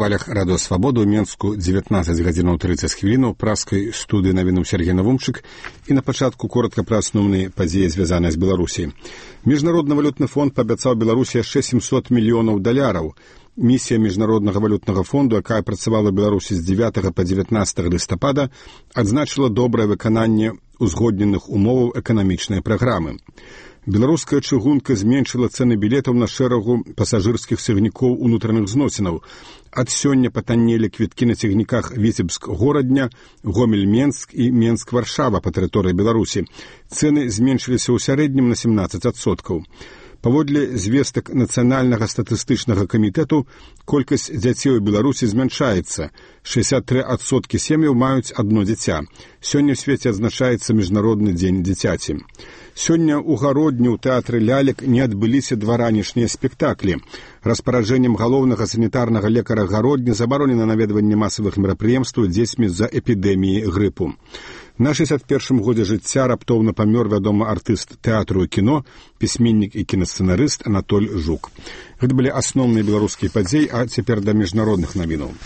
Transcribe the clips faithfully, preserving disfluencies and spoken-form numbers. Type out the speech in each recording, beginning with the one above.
хвалях радыё Свабода ў Менску дзевятнаццаць гадзінаў трыццаць хвілінаў праскай студыі навінаў Сергей Навумчык і на пачатку коротка пра асноўныя падзеі, звязаныя з Беларусі. Міжнародны валютны фонд паабяцаў Беларусі яшчэ сямсот мільёнаў даляраў. Місія Міжнароднага валютнага фонду, якая працавала ў Беларусі з дзевятага па дзевятнаццатае лістапада, адзначыла добрае выкананне узгодненых умоваў эканамічнай праграмы. Беларуская чыгунка зменшыла цэны білетаў на шэрагу пасажырскіх цягнікоў унутраных зносінаў. Ад сёння патаннелі квіткі на цягніках Віцебск-Горадня, Гомель-Менск і Менск-Варшава па тэрыторыі Беларусі. Цэны зменшыліся ў сярэднім на семнаццаць адсоткаў. Паводле звестак Нацыянальнага статыстычнага камітэту, колькасць дзяцей у Беларусі змяншаецца. шэсцьдзесят тры адсоткі сем'яў маюць адно дзіця. Сёння ў свеце адзначаецца Міжнародны дзень дзіцяці. Сёння ў гародні ў тэатры лялек не адбыліся два ранішнія спектаклі. Распараджэннем галоўнага санітарнага лекара гародні забаронена наведванне масавых мерапрыемстваў дзецьмі з-за эпідэміі грыпу. На шэсцьдзесят першым годзе жыцця раптоўна памёр вядомы артыст тэатру і кіно, пісьменнік і кінасцэнарыст Анатоль Жук. Гэта былі асноўныя беларускія падзеі, а цяпер да міжнародных навінаў.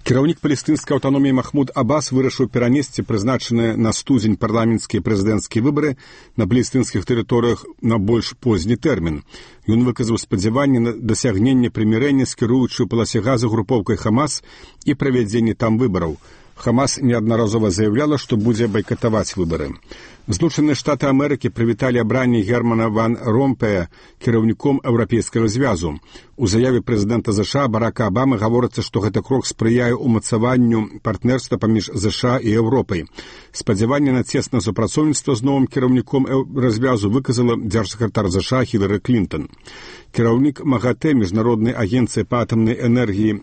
Кіраўнік палестынскай аўтаноміі Махмуд Аббас вырашыў перанесці прызначаныя на студзень парламенцкія і прэзідэнцкія выбары на палестынскіх тэрыторыях на больш позні тэрмін. Ён выказаў спадзяванне на дасягненне прымірэння з кіруючай у паласе газа групоўкай Хамас і правядзенне там выбараў. Хамас неаднаразова заяўляла, што будзе байкатаваць выбары. Злучаныя Штаты Амерыкі прывіталі абранне Германа ван Ромпея кіраўніком Еўрапейскага звязу. У заяве прэзідэнта ЗША Барака Абамы гаворыцца, што гэты крок спрыяе ўмацаванню партнерства паміж ЗША і Еўропай. Спадзяванне на цеснае супрацоўніцтва з новым кіраўніком развязу выказала дзяржсакратар ЗША Хілары Клінтон. Кіраўнік МАГАТЭ, міжнароднай агенцыі па атамнай энергіі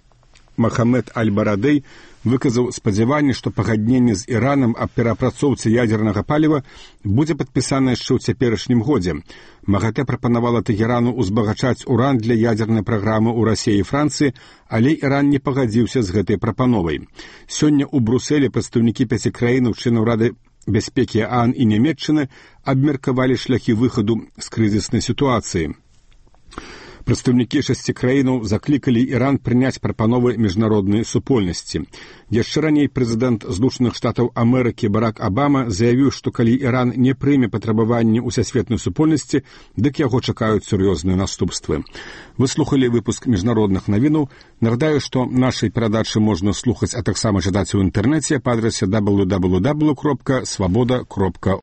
Махамед Аль-Барадэй выказаў спадзяванне, што пагадненне з Іранам аб перапрацоўцы ядзернага паліва будзе падпісана яшчэ ў цяперашнім годзе. МАГАТЭ прапанавала Тэгерану ўзбагачаць уран для ядзернай праграмы ў Расіі і Францыі, але Іран не пагадзіўся з гэтай прапановай. Сёння ў Брусэлі прадстаўнікі пяці краінаў членаў Рады бяспекі ААН і Нямецчыны абмеркавалі шляхі выхаду з крызіснай сітуацыі. Прадстаўнікі шасці краінаў заклікалі Іран прыняць прапановы міжнароднай супольнасці. Яшчэ раней прэзідэнт Злучаных Штатаў Амерыкі Барак Абама заявіў, што калі Іран не прыме патрабаванні ўсесветнай супольнасці, дык яго чакаюць сур'ёзныя наступствы. Вы слухалі выпуск міжнародных навінаў. Нагадаю, што нашай перадачы можна слухаць, а таксама чытаць у інтэрнэце па адрасе дабл ю дабл ю дабл ю кропка свабода кропка